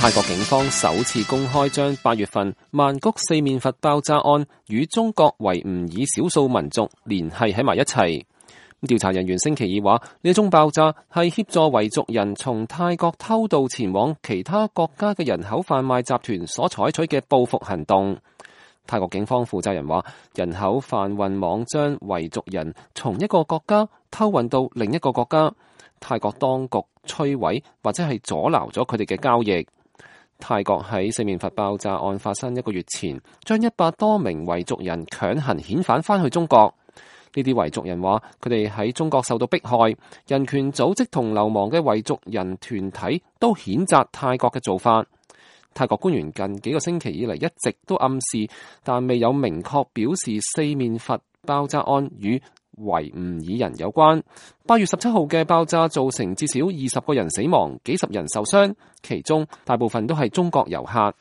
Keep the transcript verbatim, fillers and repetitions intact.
泰國警方首次公開將八月份曼谷四面佛爆炸案與中國維吾爾少數民族聯繫喺埋一齊。調查人員星期二話，呢宗爆炸係協助維族人從泰國偷渡前往其他國家嘅人口販賣集團所採取嘅報復行動。泰國警方負責人話，人口販運網將維族人從一個國家偷運到另一個國家，泰國當局摧毀或者係阻撓咗佢哋嘅交易。泰國喺四面佛爆炸案發生一個月前，將一百多名維族人強行遣返返去中國。呢啲維族人話，佢哋喺中國受到迫害，人權組織同流亡嘅維族人團體都譴責泰國嘅做法。泰國官員近幾個星期以嚟一直都暗示，但未有明確表示四面佛爆炸案與維吾爾人有關。八月十七號嘅爆炸造成至少二十個人死亡，幾十人受傷，其中大部分都係中國遊客。